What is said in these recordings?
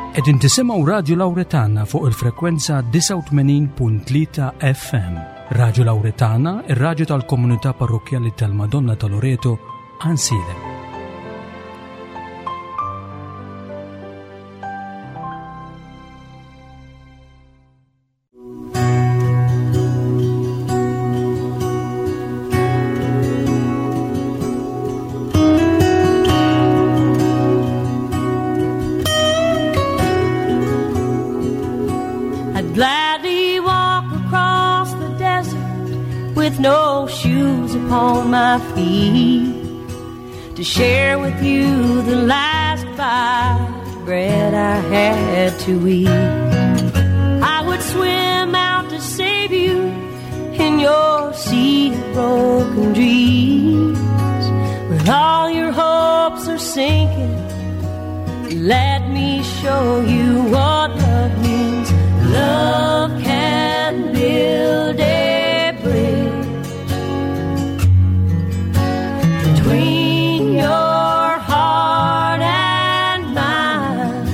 Qegħdin tisimgħu Radju Lawretana fuq il-frekwenza 89.3 FM. Radju Lawretana, ir-radju tal-komunità parrokkjali tal-Madonna ta' Loreto, Ansilem. I'd gladly walk across the desert with no shoes upon my feet to share with you the last bite of bread I had to eat. I would swim out to save you in your sea of broken dreams. When all your hopes are sinking, let me show you what love means. Love can build a bridge between your heart and mine.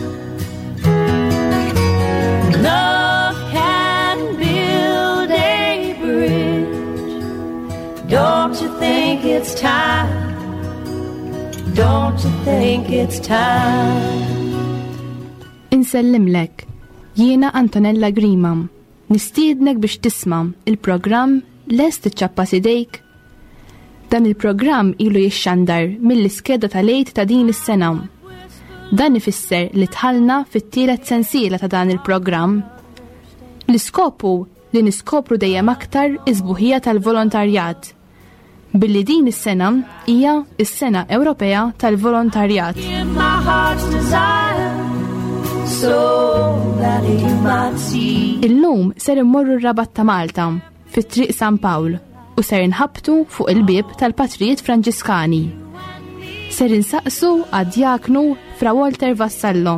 Love can build a bridge. Don't you think it's time? Don't you think it's time? Insellimlek, jiena Antonella Grima, nistiednek biex tisma' il-programm Lest iċċappas idejk? Dan il-programm ilu jixxandar mill-iskeda tal-Għid ta' din is-sena. Dan ifisser li dħalna fit-tielet sensiela ta' dan il-programm. L-iskop hu li niskopru dejjem aktar is-sbuħija tal-volontarjat. Billi din is-sena hija s-Sena Ewropea tal-Volontarjat. Illum ser immorru r-Rabat ta' Malta, fi Triq San Pawl, u ser inħabbtu fuq il-bieb tal-Patrijiet Franġiskani. Ser insaqsu għad-djaknu Fra Walter Vassallo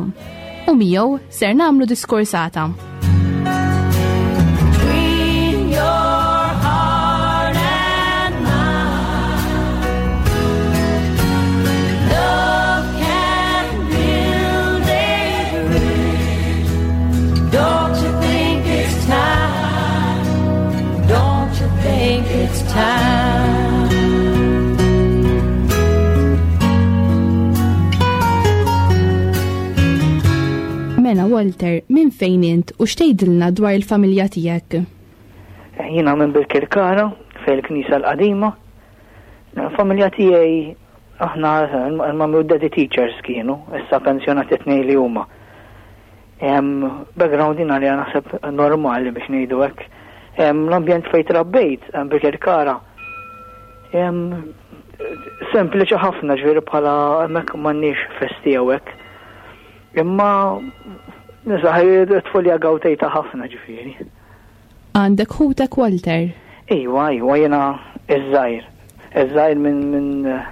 u miegħu ser nagħmlu diskursata. Mela Walter, minn fejn int u x'tgħidilna dwar il-familja tiegħek? Jiena minn Birkirkara, fejn il-Knisja l-Qadima. Il-familja tiegħi aħna l-mummy u daddy teachers kienu, issa pensjonati tnejn li huma. Background jina li naħseb normali biex ngħidu hekk. L-ambjent fejn trabbejt, Birkirkara, sempliċi ħafna ġifieri bħala hemmhekk m'għandniex festi jew hekk. Imma nisaħ tfulja gawtejta ħafna ġifieri. Għandek ħutek Walter? Iwa, iwa, jiena iż-żgħir. Iż-żgħir minn min,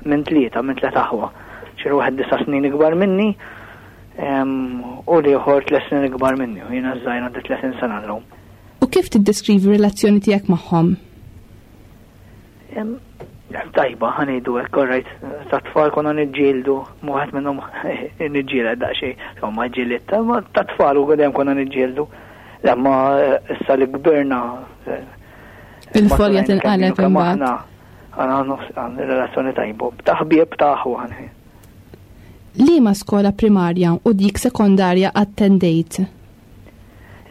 min tlieta, minn tliet aħwa. Xi wieħed disa' snin ikbar minni u l-ieħor tliet snin ikbar minni u jiena żgħir għandi 30 sena llum. U kif tiddeskrivi r-relazzjoni tiegħek magħhom? Tajba, ħanejdu hekk, all right, ta' tfal konna niġġieldu, wieħed minnhom niġġieled daqsxejn, insomma ġielidt, ma ta' tfal u dejjem konna niġġieldu. Lemma issa li kbirna. Il-folja tinqaleb imbagħad. Għana għandna relazzjoni tajba, ta' ħbieb ta' aħwa. Liema skola primarja u dik sekondarja attendejt?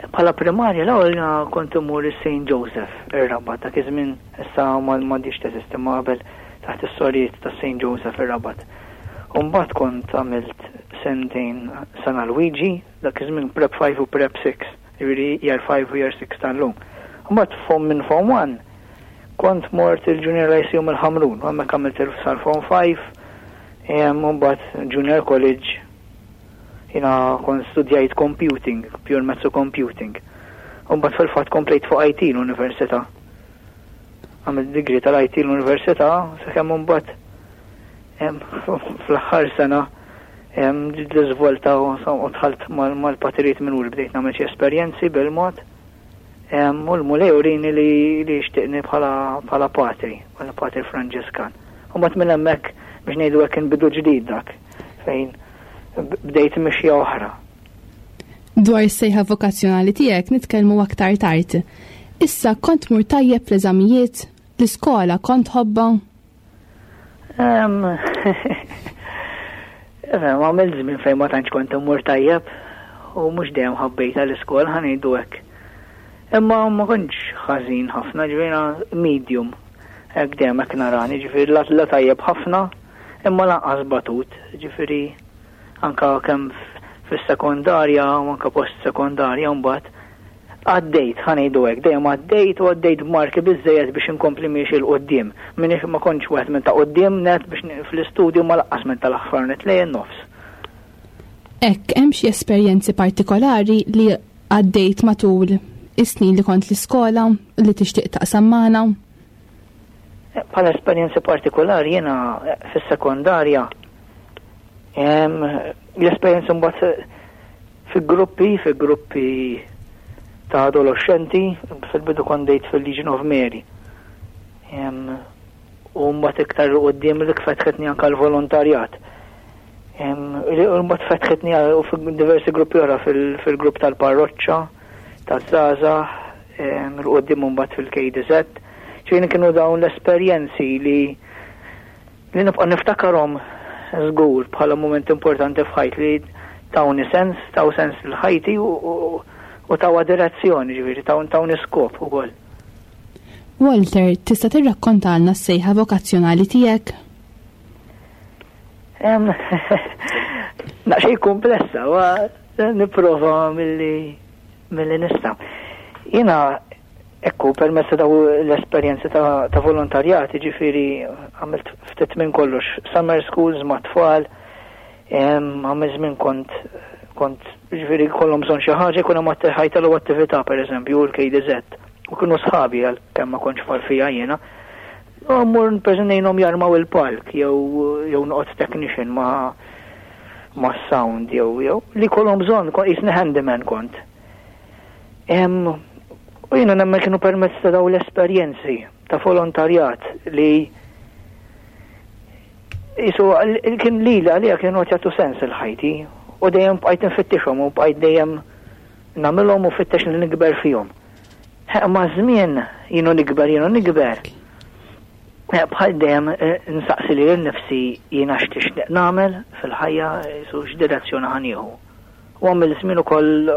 Bħala primarja l-ewwel jiena kont immur is-St. Joseph ir-Rabat dak iż-żmien issa m'għadhiex teżisti ma qabel taħt is-sorijiet ta' St. Joseph ir-Rabat. U mbagħad kont għamilt sentejn San Alwiġi, dak iż-żmien Prep 5 u Prep 6, jiġifieri Year 5 u Year 6 tal-lum. U mbagħad fom minn Form 1 kont mort il-Junior Lyceum il-Ħamrun, u hemmhekk għamilt sal-Form 5, u mbagħad Junior College Jiena kont studjajt computing, pure maths u computing. U mbagħad fil-fatt komplejt fuq IT l-università. Għamilt degree tal-IT l-università sakemm imbagħad fl-aħħar sena ġiet l-iżvolta u dħalt mal-patrijiet minuri bdejt nagħmel xi esperjenzi bil-mod. U l-Mulej urini li jixtieqni bħala patri, bħala patri Franġiskan. U mbagħad minn hemmhekk biex ngħidu hekk kien bidu ġdid dak fejn bdejt mixja oħra. Dwar is-sejħa vokazzjonali tiegħek nitkellmu aktar tard. Issa kont mur tajjeb fl-eżamijiet, l-iskola kont ħobba? Għamilt żmien fejn ma tantx kont immur tajjeb u mhux dejjem ħabbejta l-iskola ħa ngħidu hekk. Imma ma kontx ħażin ħafna, ġifieri medium. Hekk dejjem hekk narani, ġifieri la tajjeb ħafna, imma lanqas batut, ġifieri anka kemm fis-sekondarja u anka post-sekondarja mbagħad għaddejt, ħa ngħidu hekk, dejjem għaddejt u għaddejt b'marki biżżejjed biex inkompli miexi 'l quddiem. M'iniex ma kontx wieħed minn ta' quddiem nett biex fl-istudju ma laqqas minn tal-aħħar nett lejn nofs. Hekk, hemm xi esperjenzi partikolari li għaddejt matul is-snin li kont l-iskola li tixtieq taqsam magħna? Bħala esperjenzi partikolari jiena fis-sekondarja l-esperjenzi mbagħad fi gruppi, fi gruppi ta' adolescenti, fil-bidu kont dejt fil-Legion of Mary. U mbagħad iktar quddiem li fetħetni anke l-volontarjat. U mbagħad fetħetni diversi gruppi oħra fil-grupp tal-parroċċa, taż-żgħażagħ, il-quddiem mbagħad fil-KDZ. Ġifieri kienu dawn l-esperjenzi li li nibqa' niftakarhom żgur bħala mument importanti f'ħajti li tawni sens, taw sens lil ħajti u tawha direzzjoni, ġifieri tawni skop ukoll. Walter, tista' tirrakkontalna s-sejħa vokazzjonali tiegħek? Naqxej komplessa, ma nipprova milli milli nista'. Jiena Ekku, permezz ta' daw l-esperjenzi ta', ta volontarjat, ġifiri għamilt ftit minn kollox, summer schools ma' tfal, għamil żmien kont kont ġifiri kollhom bżonn xi ħaġa jkun hemm ħajtalu attività pereżempju l-KDZ. U kienu sħabi għal kemm ma kontx far fija jiena. U mmur ngħinhom jarmaw il-palk jew jew noqgħod technician ma' ma' sound jew jew li kollhom bżonn jisni handyman kont. U jiena nemmen kienu permezz ta' daw l-esperjenzi ta' volontarjat li jisu kien li li għalija kienu qed jagħtu sens il-ħajti u dejjem bqajt nfittixhom u bqajt dejjem nagħmilhom u fittex li nikber fihom. Ma żmien jienu nikber jienu nikber. Bħal dejjem eh, nsaqsi li l-nifsi jiena x'tixtieq nagħmel fil-ħajja jisu x'direzzjoni ħanieħu. U għamilt żmien ukoll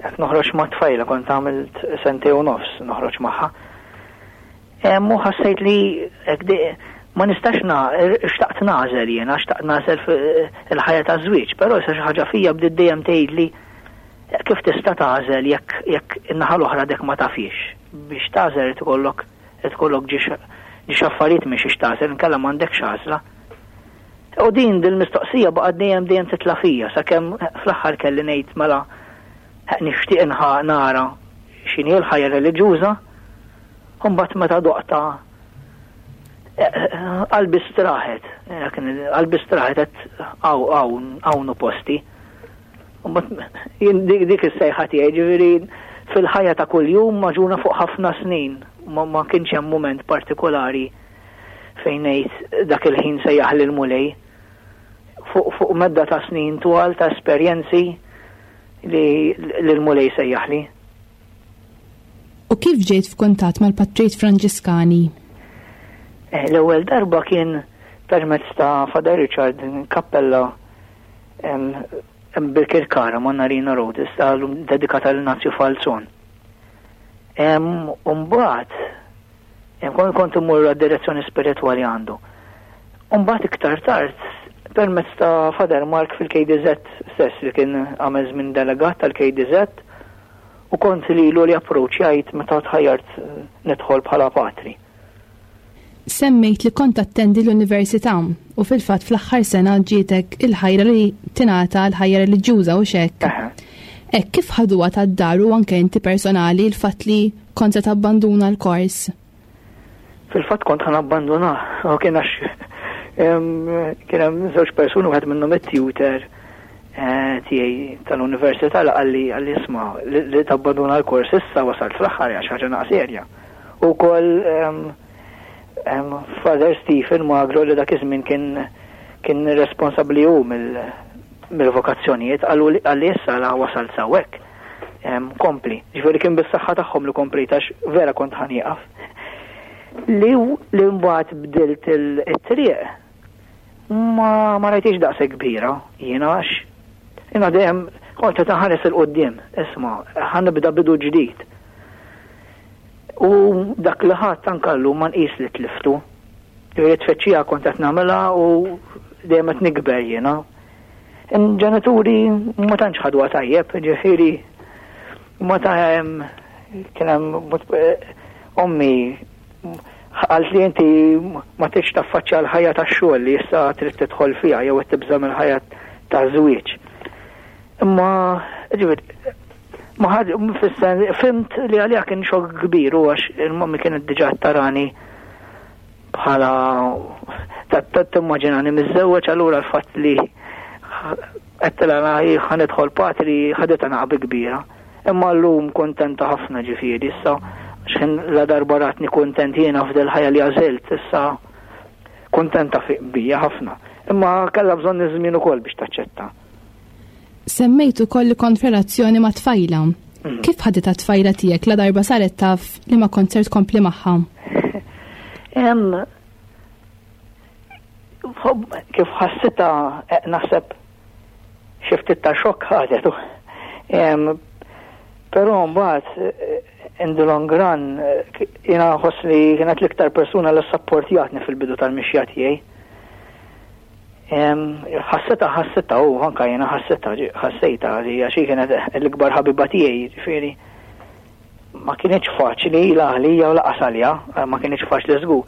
qed noħroġ ma' tfajla, kont għamilt sentej u nofs noħroġ magħha. U ħassejt li ma nistax na, xtaqt nażel jiena, xtaqt nażel il-ħajja ta' żwieġ, però issa xi ħaġa fija bdiet dejjem tgħidli kif tista' tagħżel jekk jekk in-naħa l-oħra dek ma tafix. Biex tagħżel irid ikollok irid ikollok ġiex affarijiet minn xiex tagħżel, inkella m'għandekx għażla. U din dil-mistoqsija baqgħet dejjem dejjem titla' fija sakemm fl-aħħar kelli ngħid mela nixtieq nara x'inhi l-ħajja reliġjuża u mbagħad meta doqta qalbi straħet, qalbi straħet qed hawn hawn posti. Jien dik is-sejħa tiegħi ġifieri fil-ħajja ta' kuljum maġuna fuq ħafna snin ma kienx hemm mument partikolari fejn ngħid dak il-ħin sejjaħli l-Mulej fuq fuq medda ta' snin twal ta' esperjenzi li l-Mulej sejjaħli. U kif ġejt f'kuntatt mal-Patrijiet Franġiskani? Eh, l-ewwel darba kien permezz ta' Father Richard kappella bil-Kirkara ma' Narina Road, issa dedikata l-Nazju Falzon. Umbagħad Kont kont immur għad-direzzjoni spiritwali għandu. Umbagħad iktar tard permezz ta' Father Mark fil-KDZ stess li kien għamel żmien delegat tal-KDZ u kont lilu li approċċjajt meta tħajjart eh, nidħol bħala patri. Semmejt li kont attendi l-università u fil-fatt fl-aħħar sena ġietek il-ħajra li tingħata l-ħajja reliġjuża u xek. Hekk kif ħaduha tad-dar u anke inti personali l-fatt li Kont se tabbanduna l-kors? Fil-fatt kont ħan abbanduna, u kien għax kien hemm żewġ persuni wieħed minnhom it-tutor eh, tiegħi tal-università li qalli qalli isma' li tabbanduna l-kors issa wasalt fl-aħħar għax ħaġa naqs serja. U wkoll Father Stephen Magro li dak iż-żmien kien kien responsabbli hu mill mill-vokazzjonijiet, qalu li issa la wasalt sawhekk. Kompli. Ġifieri kien bis-saħħa tagħhom li komplejt għax vera kont ħa nieqaf. Li li mbagħad bdilt it-triq ma ma rajtix daqshekk kbira jiena għax jiena dejjem kont qed inħares 'il quddiem, isma' ħa nibda bidu ġdid. U dak li ħadt anke llum ma nqis li tliftu. Ġifieri tfittxija kont qed nagħmilha u dejjem qed nikber jiena. Ġenituri ma tantx ħadwa tajjeb, ġifieri ma ta' kien hemm eh, ommi qalt li inti ma tridx taffaċċja l-ħajja tax-xogħol li issa trid tidħol fiha jew qed tibża' mill-ħajja ta' żwieġ. Imma ġifieri ma ħad fis-sens fimt li għaliha kien xokk kbir u għax il-mommi kienet diġà tarani bħala timmaġinani miżżewweġ allura l-fatt li għedtilha ħa nidħol patri ħaditha naqbi kbira. Imma llum kuntenta ħafna ġifieri issa x'ħin la darba ratni kuntent jiena f'dil ħajja li għażilt issa kuntenta bija ħafna. Imma kellha bżonn iż-żmien ukoll biex taċċetta. Semmejt ukoll li kont f'relazzjoni ma' tfajla. Mm. Kif ħaditha t-tfajla tiegħek la darba saret taf li ma kont ser tkompli magħha? Kif ħassitha eh, naħseb xi ftit ta' xokk ħadet. Però mbagħad eh, in the long run eh, jiena nħoss li kienet l-iktar persuna li sapportjatni fil-bidu tal-mixja tiegħi. Ħassitha ħassitha u anka jiena ħassitha ħassejtha li għax kienet l-ikbar ħabiba tiegħi, ġifieri ma kienx faċli la għalija u laqas għalija, ma kienx faċli żgur.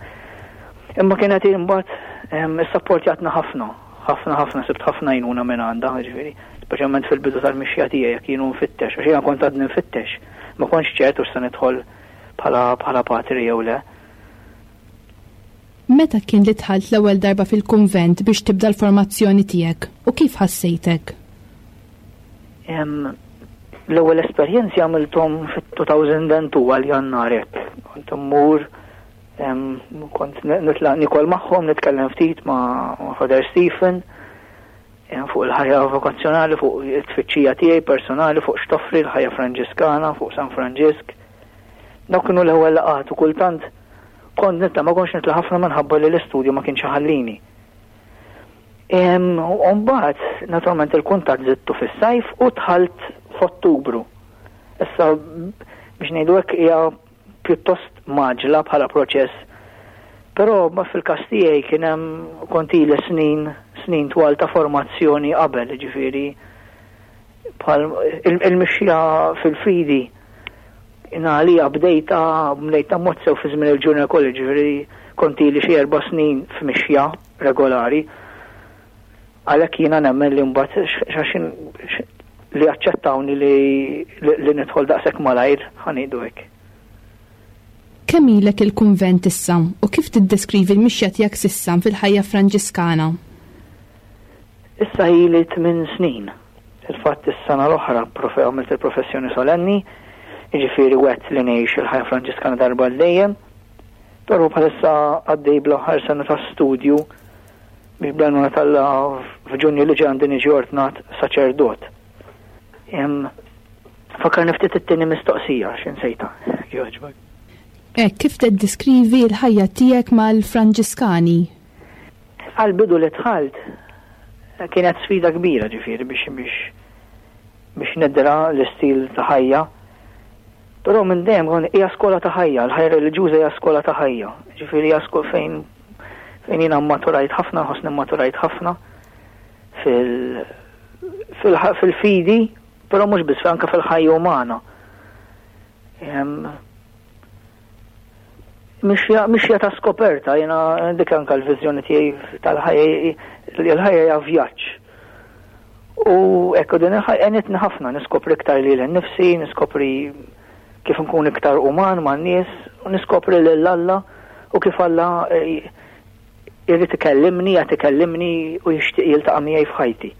Imma kienet imbagħad issapportjatna ħafna, ħafna ħafna sibt ħafna għajnuna minn għandha, ġifieri, speċjalment fil-bidu tal-mixja tiegħi jekk jienu nfittex, għax jiena kont għadni nfittex, ma kontx ċert hux se nidħol bħala patri jew le. Meta kien li dħalt l-ewwel darba fil-kunvent biex tibda l-formazzjoni tiegħek u kif ħassejtek? L-ewwel esperjenzi għamilthom fit-2002 għal Jannar hekk. Kont immur kont nitlaq nikol magħhom, nitkellem ftit ma' Father Stephen fuq il-ħajja vokazzjonali, fuq it-tfittxija tiegħi personali, fuq x'toffri l-ħajja Franġiskana, fuq San Franġisk. Dawk kienu l-ewwel laqgħat u kultant Kont nitla' ma kontx nitla' ħafna minħabba li l-istudju ma kienx iħallini. U mbagħad, naturalment il-kuntatt żidtu fis-sajf u dħalt f'Ottubru. Issa biex ngħidu hekk hija pjuttost mgħaġġla bħala proċess. Però ma fil-każ tiegħi kien hemm kont ili snin snin twal ta' formazzjoni qabel, ġifieri bħal il-mixja fil-fidi Jiena għalija bdejtha, bdejtha mod sew fi żmien il-junior college, ġifieri kont ili xi erba' snin f'mixja regolari. Għalhekk jiena nemmen li mbagħad li aċċettawni li li nidħol daqshekk malajr, ħa ngħidu hekk. Kemm ilek il-kunvent issa u kif tiddeskrivi l-mixja tiegħek s'issa fil-ħajja Franġiskana? Issa ili tminn snin. Fil-fatt is-sena l-oħra għamilt il-professjoni solenni, jiġifieri wegħdt li ngħix il-ħajja Franġiskana darba għal dejjem. Però bħalissa għaddej bl-aħħar sena ta' studju biex bl-għajnuna t'Alla f'Ġunju li ġej għandi niġi ordnat saċerdot. Fakkarni ftit it-tieni mistoqsija għax insejtha, jogħġbok. Hekk kif tiddeskrivi l-ħajja tiegħek mal-Franġiskani? Għall-bidu li dħalt kienet sfida kbira ġifieri biex biex biex nidra l-istil ta' ħajja. Però minn dejjem kont hija skola ta' ħajja, l-ħajja reliġjuża hija skola ta' ħajja. Ġifieri hija skola fejn fejn jiena mmaturajt ħafna, nħossni mmaturajt ħafna fil fil-fidi, però mhux biss anke fil-ħajja umana. Mixja, mixja ta' skoperta, jena dik anka l-vizjoni tiegħi tal-ħajja, l-ħajja hija vjaġġ. U ekku din il-ħajja għenitni ħafna niskopri iktar lili nnifsi, niskopri kif nkun iktar uman man-nies, u niskopri lil Alla u kif Alla eh, irrid ikellimni, qed ikellimni u jixtieq jiltaqa' miegħi f'ħajti.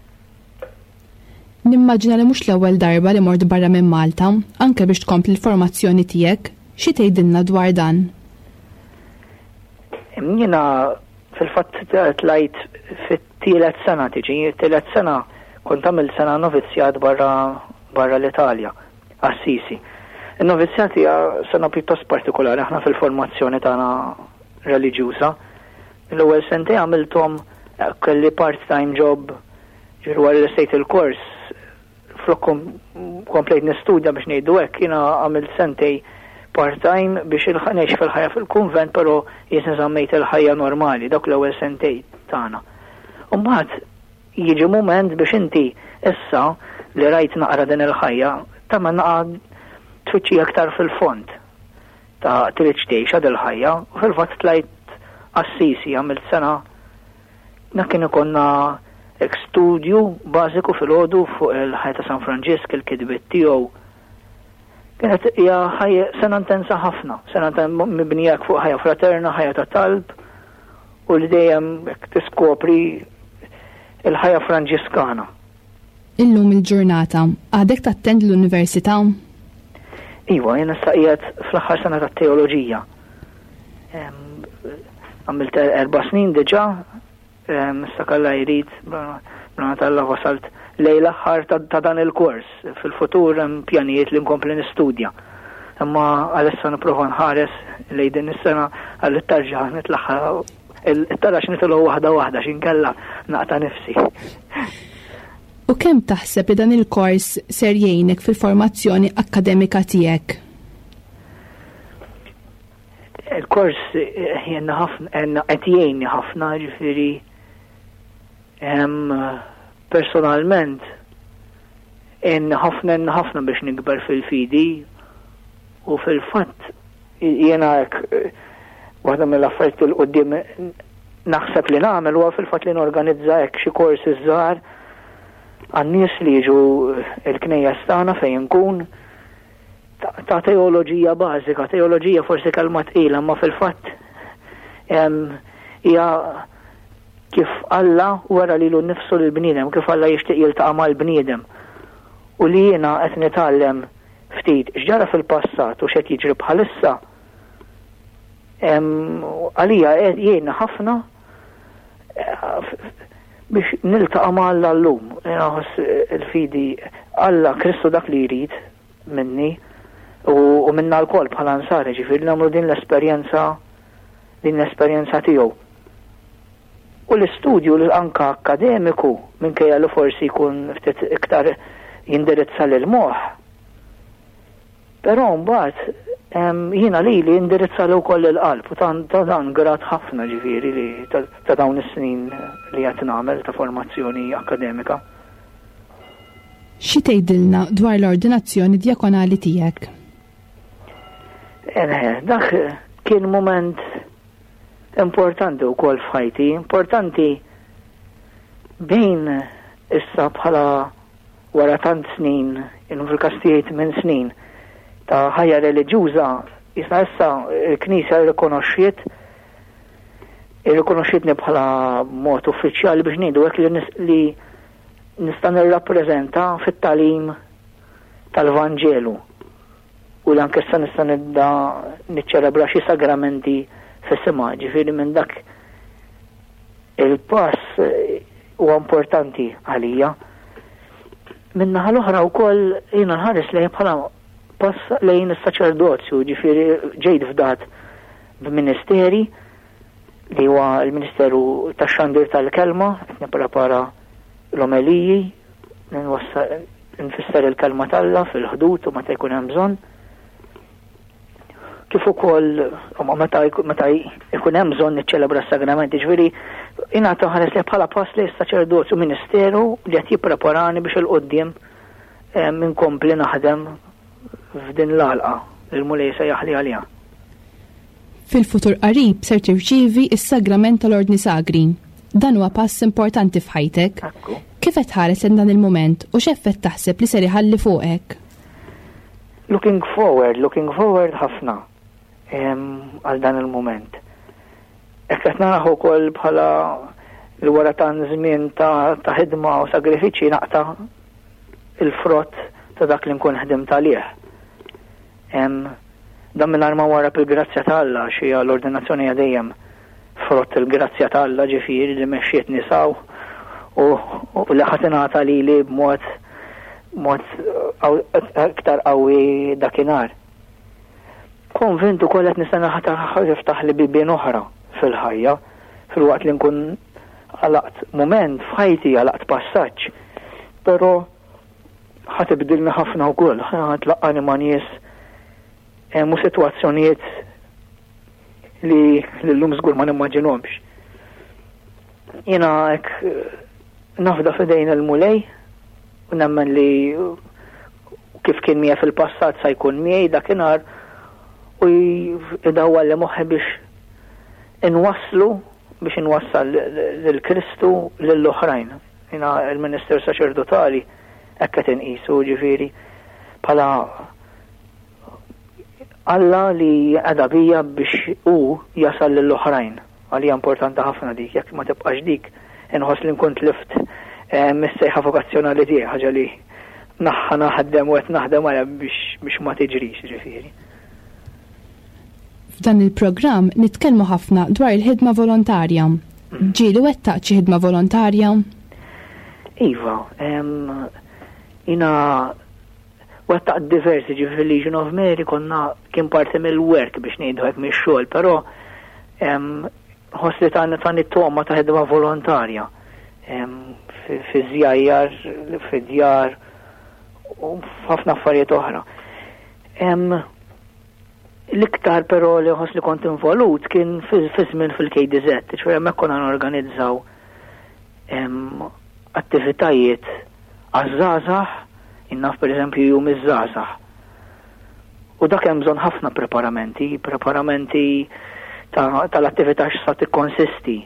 Nimmaġina li mhux l-ewwel darba li mort barra minn Malta, anke biex tkompli l-formazzjoni tiegħek. Xi tgħidilna dwar dan? Jiena fil-fatt tlajt fit-tielet sena tiġi, tielet sena Kont għamilt sena novizzjat barra barra l-Italja, Assisi. In-novizzjat hija sena pjuttost partikolari aħna fil-formazzjoni tagħna reliġjuża. L-ewwel sentej għamilthom eh, kelli part-time job ġifieri wara li sejt il-kors flok komplejt nistudja biex ngħidu hekk, jiena għamilt sentej part-time biex ngħix fil-ħajja fil-kunvent, però jien żammejt il-ħajja normali dawk l-ewwel sentej tagħna. U mbagħad jiġi mument biex inti issa li rajt naqra din il-ħajja tagħmel naqra tfittxija aktar fil-fond ta' trid tgħix il-ħajja u fil-fatt tlajt Assisi għamilt sena Dak kien ikollna hekk studju bażiku filgħodu fuq il-ħajja ta' San Franġisk, il-kitbiet tiegħu. Kienet hija ħajja sena intensa ħafna, sena mibnija fuq ħajja fraterna, ħajja ta' talb u li dejjem hekk tiskopri il-ħajja Franġiskana. Illum il-ġurnata, għadek tattendi l-università? Iva, jien issa qiegħed fl-aħħar sena tat-teoloġija. Għamilt erba' snin diġà, issa kalla jrid, bla talla wasalt lej l-aħħar ta' dan il-kors. Fil-futur hemm pjanijiet li nkompli nistudja. Imma għalissa nipprova nħares lej din is-sena għal tarġa nitlaħħa it-tarax nitilgħu waħda waħda x'inkella naqta' nifsi. U kemm taħseb li dan il-kors ser jgħinek fil-formazzjoni akkademika tiegħek? Il-kors jenna ħafna, qed jgħinni ħafna, ġifieri personalment għenni ħafna għenni ħafna biex nikber fil-fidi u fil-fatt jiena hekk waħda mill-affarijiet il qudiem naħseb li nagħmel huwa fil-fatt li norganizza hekk xi korsi żgħar għan-nies li jiġu l-knejjes tagħna fejn nkun ta' teoloġija bażika, teoloġija forsi kelma tqila, ma fil-fatt hija kif Alla wera lilu nnifsu lill-bniedem, kif Alla jixtieq jiltaqa' mal-bniedem. U li jiena qed nitgħallem ftit x'ġara fil-passat u x'qed jiġri bħalissa, għalija jgħinni ħafna eh, biex niltaqa' ma' Alla llum. Jiena nħoss il-fidi Alla Kristu dak li jrid minni u minna lkoll bħala nsara, ġifieri nagħmlu din l-esperjenza din l-esperjenza tiegħu. U l-istudju anka akkademiku minkejja li forsi jkun ftit iktar jindirizza lil moħħ. Però mbagħad jiena lili indirizza li wkoll il-qalb u ta' dan grat ħafna ġifieri li ta' dawn is-snin li qed nagħmel ta' formazzjoni akkademika. Xi tgħidilna dwar l-ordinazzjoni djakonali tiegħek? Eh, dak kien mument importanti wkoll f'ħajti, importanti bejn issa bħala wara tant snin, illum fil-każ tiegħi minn snin ta' ħajja reliġjuża, jisna issa il-Knisja rrikonoxxiet irrikonoxxietni bħala mod uffiċjali biex ngħidu hekk li nista' nirrappreżenta fit-tagħlim tal-Vanġelu u li anke issa nista' nibda niċċelebra xi sagramenti f'isimha, ġifieri minn dak il-pass eh, huwa importanti għalija. Min-naħa l-oħra wkoll jiena nħares lejn bħala pass lejn is-saċerdozju, ġifieri ġejt fdat b'ministeri li huwa l-Ministeru tax-Xandir tal-Kelma, qed nipprepara l-omeliji, nfisser il-kelma t'Alla fil-ħdud u meta jkun hemm bżonn. Kif ukoll meta jkun hemm bżonn niċċelebra s-sagramenti, ġifieri jiena ħares li bħala pass li s-saċerdozju ministeru li qed jippreparani biex il-qudiem eh, minkompli naħdem f'din l-għalqa li l-Mulej sejjaħli għaliha. Fil-futur qarib ser tirċievi s-sagrament tal-Ordni Sagri. Dan huwa pass importanti f'ħajtek. Kif qed tħares lejn dan il-mument u x'effett taħseb li ser iħalli fuqek? Looking forward, looking forward ħafna għal dan il-mument. Hekk qed naraħ ukoll bħala li wara tant żmien ta' ħidma u sagrifiċċji naqta' il-frott ta' dak li nkun ħdimt għalih. Dan mingħajr ma warrab il-grazzja ta' Alla għax hija l-ordinazzjoni hija dejjem frott il-grazzja ta' Alla ġifieri li mexxietni saw u li ħa tingħata lili b'mod mod iktar qawwi dakinhar. Konvint ukoll qed nistenna ħa tiftaħli bibien oħra fil-ħajja filwaqt li nkun għalaqt mument f'ħajti, għalaqt passaġġ, però ħa tibdilni ħafna wkoll, ħa tlaqqani ma' nies u sitwazzjonijiet li l-lum żgur ma nimmaġinhomx. Jiena hekk nafda f'idejn il-Mulej u nemmen li kif kien miegħi fil-passat sa jkun miegħi dakinhar u idawwal li moħħi biex inwasslu biex inwassal lil Kristu lill-oħrajn. Jiena il-Ministeru Saċerdotali hekk qed inqisu ġifieri bħala Alla li qeda bija biex hu jasal lill-oħrajn. Għalija importanti ħafna dik, jekk ma tibqax dik, inħoss li nkun tlift eh, mis-sejħa vokazzjonali tiegħi, ħaġa li naħħa naħdem u qed naħdem għalha biex ma tiġrix ġifieri. F'dan il-programm nitkellmu ħafna dwar il-ħidma volontarja. Ġieli wettaqt xi ħidma volontarja? Iva, jina wettaqt diversi ġifieri fil-Legion of Mary konna kien parti mill-work biex ngħidu hekk mix-xogħol, però ħoss li tani tani toma ta' ħidma volontarja fi żjajjar, fi djar u f'ħafna affarijiet oħra. L-iktar però li ħoss li kont involut kien fi żmien fil-KDZ, ċoħe hemmhekk konna norganizzaw attivitajiet għaż-żgħażagħ, innaf pereżempju jum iż-żgħażagħ. U dak hemm bżonn ħafna preparamenti, preparamenti tal-attività x'sa tikkonsisti.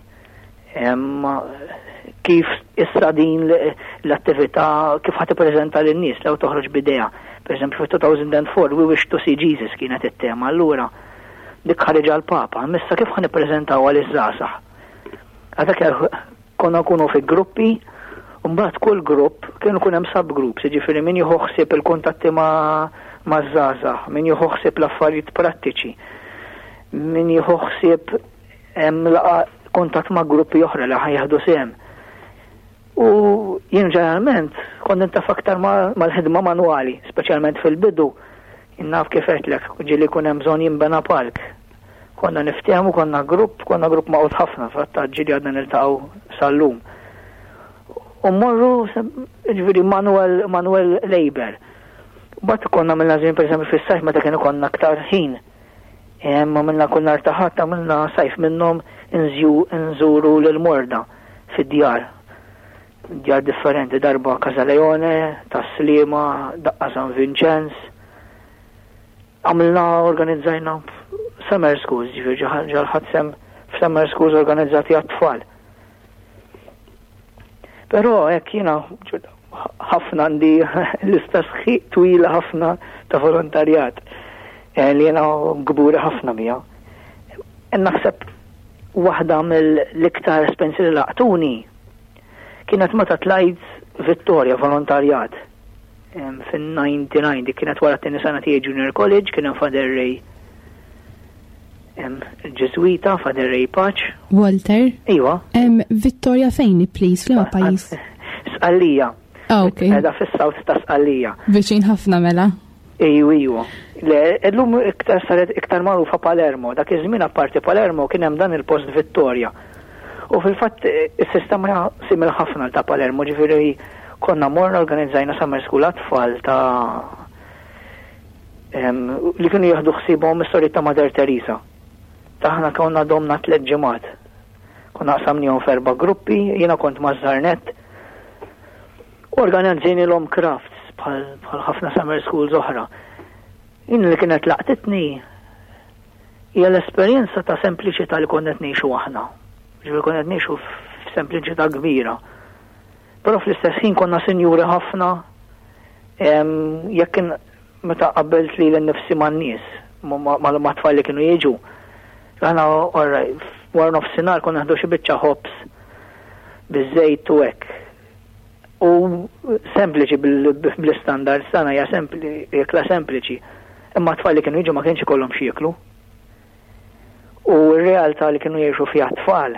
Kif issa din l-attività kif ħa tippreżenta lin-nies lew toħroġ b'idea. Pereżempju fit-2004 We Wish to See Jesus kienet it-tema, allura dik ħariġha l-Papa, missa kif ħa nippreżentawha liż-żgħażagħ? Għadak konna nkunu fi gruppi, u mbagħad kull grupp kienu kun hemm subgroups, jiġifieri min jieħu ħsieb il-kuntatti ma' maż-żgħażagħ, min jieħu ħsieb l-affarijiet prattiċi, min jieħu ħsieb hemm laqa kuntatt ma' gruppi oħra li ħajħdu sehem. U jien ġeneralment kont nintaf aktar mal-ħidma manwali, speċjalment fil-bidu, naf kif għedtlek, ġieli jkun hemm bżonn jinbena palk. Konna niftehmu, konna grupp, konna grupp maqgħud ħafna, fatt ġieli għadna niltaqgħu sal-lum. U mmorru, ġifieri manual, manual labor. Bat konna għamilna żmien pereżempju fis-sajf meta kien ikollna aktar ħin. Għamilna kull nhar ta' Ħadd għamilna sajf minnhom nżuru lil morda fid-djar. Djar differenti, darba Casa Leone, Tas-Sliema, daqqa San Vinċenz. Għamilna organizzajna summer schools, ġifieri ġal ħadd sem f'summer schools organizzati għat-tfal. Però hekk jiena ħafna għandi lista sħiq twila ħafna ta' volontarjat eh, li jiena kburi ħafna bija. Naħseb waħda mill-iktar espensi li laqtuni kienet meta tlajt Vittoria volontarjat fin-99 dik kienet wara t-tieni sena tiegħi Junior College kien hemm Father Ray Ġeżwita, Father Ray Paċ. Walter? Iwa. Vittoria fejn, please, fl pajjiż? Sqallija. Ah, ok. Edha fis-south ta' Sqallija. Viċin ħafna mela. Iju, iju. Le, illum iktar saret iktar magħrufa Palermo. Dak iż-żmien apparti Palermo kien hemm dan il-post Vittoria. U fil-fatt is-sistema simil ħafna ta' Palermo, ġifieri konna morna organizzajna summer school għat-tfal ta' li kienu jieħdu ħsiebhom is-soriet ta' Mother Teresa. Taħna konna domna tliet ġimgħat. Konna qsamnihom f'erba' gruppi, jiena kont maż-żarnett. Organizzajnilhom crafts bħal ħafna summer schools oħra. Jien li kienet laqtitni hija l-esperjenza ta' sempliċità li konna qed ngħixu aħna. Ġifieri konna qed ngħixu f'sempliċità kbira. Però fl-istess ħin konna sinjuri ħafna jekk kien meta qabbelt lili nnifsi man-nies, ma' tfal li kienu jiġu. Aħna wara nofsinhar konna nieħdu xi biċċa ħobż biż-żejt u hekk. U sempliċi bl-istandards tagħna hija ikla sempliċi. Imma t-tfal li kienu jiġu ma kienx ikollhom x'jieklu. U r-realtà li kienu jgħixu fiha t-tfal.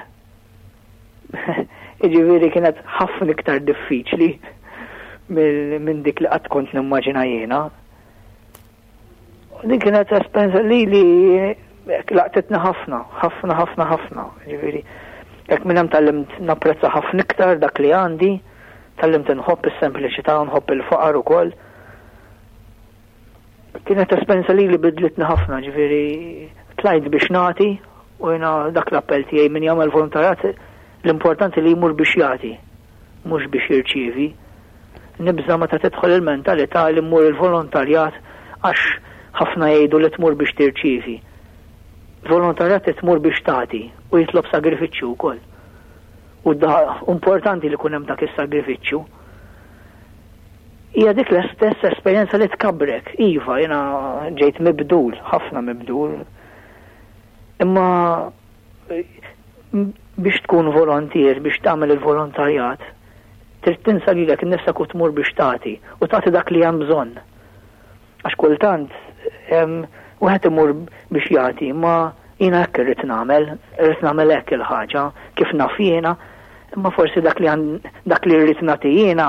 Jiġifieri kienet ħafna iktar diffiċli minn dik li qatt kont nimmaġina jiena. Din kienet esperjenza li li laqtitni ħafna, ħafna, ħafna, ħafna. Ġifieri, hekk minn hemm tgħallimt napprezza ħafna iktar dak li għandi, tgħallimt inħobb is-sempliċità, nħobb il-faqar ukoll. Kienet esperjenza li li bidlitni ħafna, ġifieri tlajt biex nagħti u jiena dak l-appell tiegħi min jagħmel volontarjat l-importanti li jmur biex jagħti, mhux biex jirċievi. Nibża' meta tidħol il-mentalità li mmur il-volontarjat għax ħafna jgħidu li tmur biex tirċievi. Volontarjat trid tmur biex tagħti u jitlob sagrifiċċju wkoll. U importanti li jkun hemm dak is-sagrifiċċju. Hija dik l-istess esperjenza li tkabbrek. Iva, jiena ġejt mibdul, ħafna mibdul. Imma biex tkun volontier, biex tagħmel il-volontarjat, Trid tinsa lilek innifsek u tmur biex tagħti, u tagħti dak li hemm bżonn. Għax kultant wieħed imur biex jagħti, imma jiena hekk irrid nagħmel, irrid nagħmel hekk il-ħaġa, kif naf jiena, imma forsi dak li dak li rrid nagħti jiena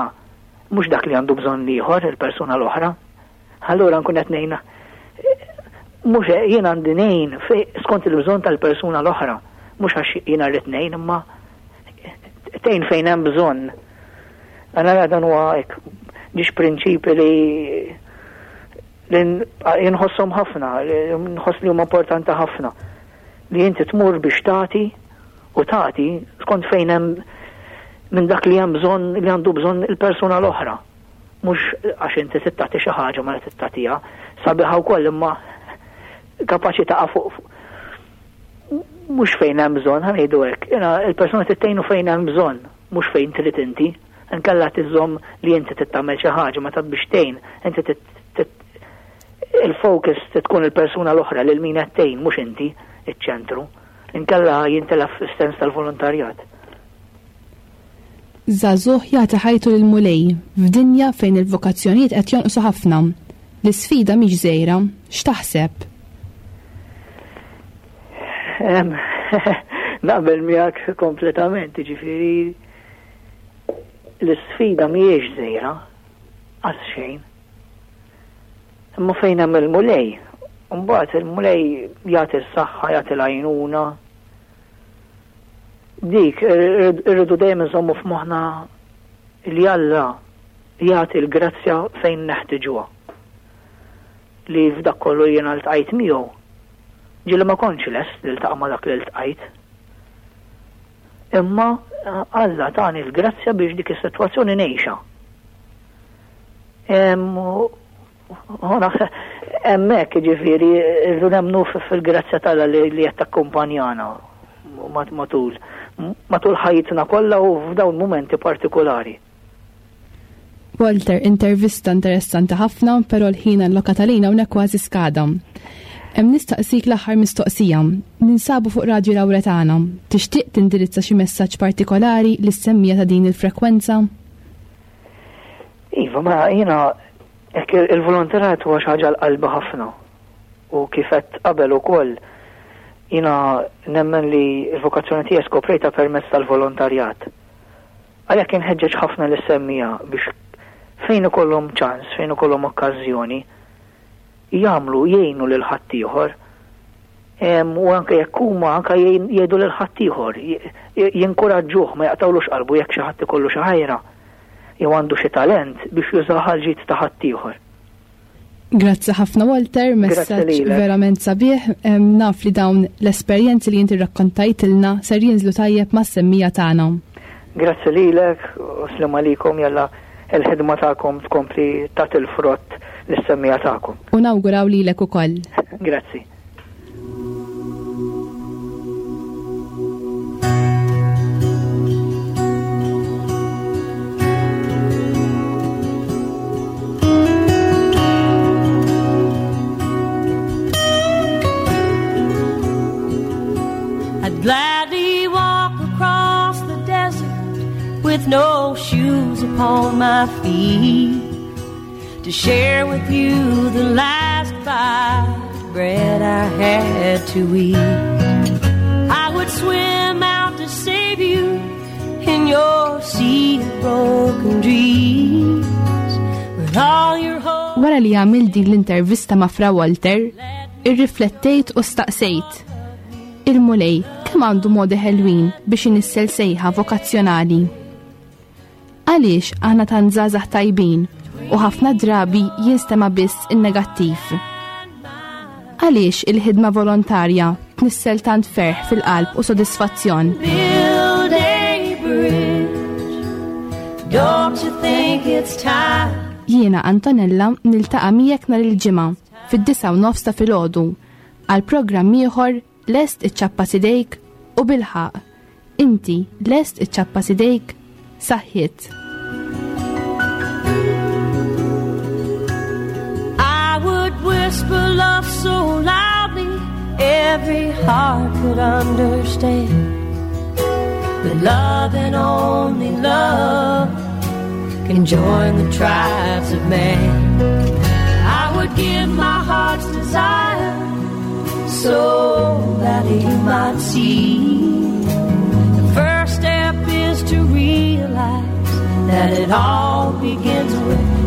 mhux dak li għandu bżonn l-ieħor, il-persuna l-oħra. Allura nkun qed ngħinha mhux jien għandi ngħin skont il-bżonn tal-persuna l-oħra, mhux għax jiena rrid ngħin imma tgħin fejn hemm bżonn. Għana dan huwa hekk ġiex prinċipi li li jinħosshom ħafna, nħoss li huma importanti ħafna. Li inti tmur biex tagħti u tagħti skont fejn hemm minn dak li hemm bżonn li għandu bżonn il-persuna l-oħra. Mhux għax inti trid tagħti xi ħaġa mela trid tagħtiha. Sabiħa wkoll imma kapaċi taqa' fuq mhux fejn hemm bżonn, ħa ngħidu hekk. Il-persuna trid tgħinu fejn hemm bżonn, mhux fejn trid inti. Inkella tiżomm li inti trid tagħmel xi ħaġa meta biex tgħin, inti il-focus tkun il-persuna l-oħra lil min qed tgħin mhux inti iċ-ċentru. Inkella jintelef is-sens tal-volontarjat. Żagħżugħ jagħti ħajtu lill-Mulej f'dinja fejn il-vokazzjonijiet qed jonqsu ħafna. L-isfida mhix żgħira. X'taħseb? Naqbel miegħek kompletament, jiġifieri l-isfida mhijiex żgħira, qas xejn. Imma fejn hemm il-Mulej, mbagħad il-Mulej jagħti s-saħħa, jagħti l-għajnuna, Dik, irridu dejjem inżommu f'moħħna li Alla jagħti l-grazzja fejn neħtiġuha. Li f'dak kollu jiena ltqajt miegħu, ġieli ma kontx lest li ltaqa' ma' dak li ltqajt. Imma Alla tani l-grazzja biex dik is-sitwazzjoni ngħixha. Hemmhekk jiġifieri rridu nemmnu fil-grazzja t'Alla li qed takkumpanjana matul matul ħajjitna kollha u f'dawn mumenti partikolari. Walter, intervista interessanti ħafna, però l-ħin allokat għalina hawnhekk kważi skada. Hemm nistaqsik l-aħħar mistoqsija. Ninsabu fuq Radju Lawretana. Tixtieq tindirizza xi messaġġ partikolari lis-semmija ta' din il-frekwenza? Iva, ma jiena hekk il-volontarjat huwa xi ħaġa l-qalbi ħafna. U kif għedt qabel ukoll jiena nemmen li l-vokazzjoni tiegħi skoprejtha permezz tal-volontarjat. Għalhekk inħeġġeġ ħafna lis-semmiegħa biex fejn ikollhom ċans, fejn ikollhom okkażjoni, jagħmlu, jgħinu lil ħaddieħor. U anke jekk huma anke jgħidu lil ħaddieħor, jinkuraġġuh ma jaqtawlux qalbu jekk xi ħadd ikollu xi ħajra jew għandu xi talent biex jużah għal ġid ta' ħaddieħor. Grazzi ħafna Walter, messaġġ verament sabiħ. Naf li dawn l-esperjenzi li inti rrakkontajtilna ser jinżlu tajjeb mas-semmija tagħna. Grazzi lilek u slim għalikom jalla il-ħidma tagħkom tkompli tagħti l-frott lis-semmiegħa tagħkom. U nawguraw lilek ukoll. Grazzi. I'd gladly walk across the desert with no shoes upon my feet to share with you the last bite of bread I had to eat. I would swim out to save you in your sea of broken dreams. With all your hope. Wara li għamil din l-intervista ma' Fra Walter, irriflettejt u staqsejt. Il-Mulej kemm għandu modi ħelwin biex inissel sejħa vokazzjonali. Għaliex aħna tant żgħażagħ tajbin u ħafna drabi jinstema' biss in-negattiv? Għaliex il-ħidma volontarja tnissel tant ferħ fil-qalb u sodisfazzjon? Build a bridge. Don't you think it's time? Jiena Antonella niltaqa' miegħek nhar il-Ġimgħa fid-disgħa u nofs ta' filgħodu għal programm ieħor Lest iċċappas idejk u bilħaqq Inti lest iċċappas idejk? Saħħiet. I would whisper love so loudly every heart could understand. That love and only love can join the tribes of man. I would give my heart's desire so that he might see. The first step is to realize that it all begins with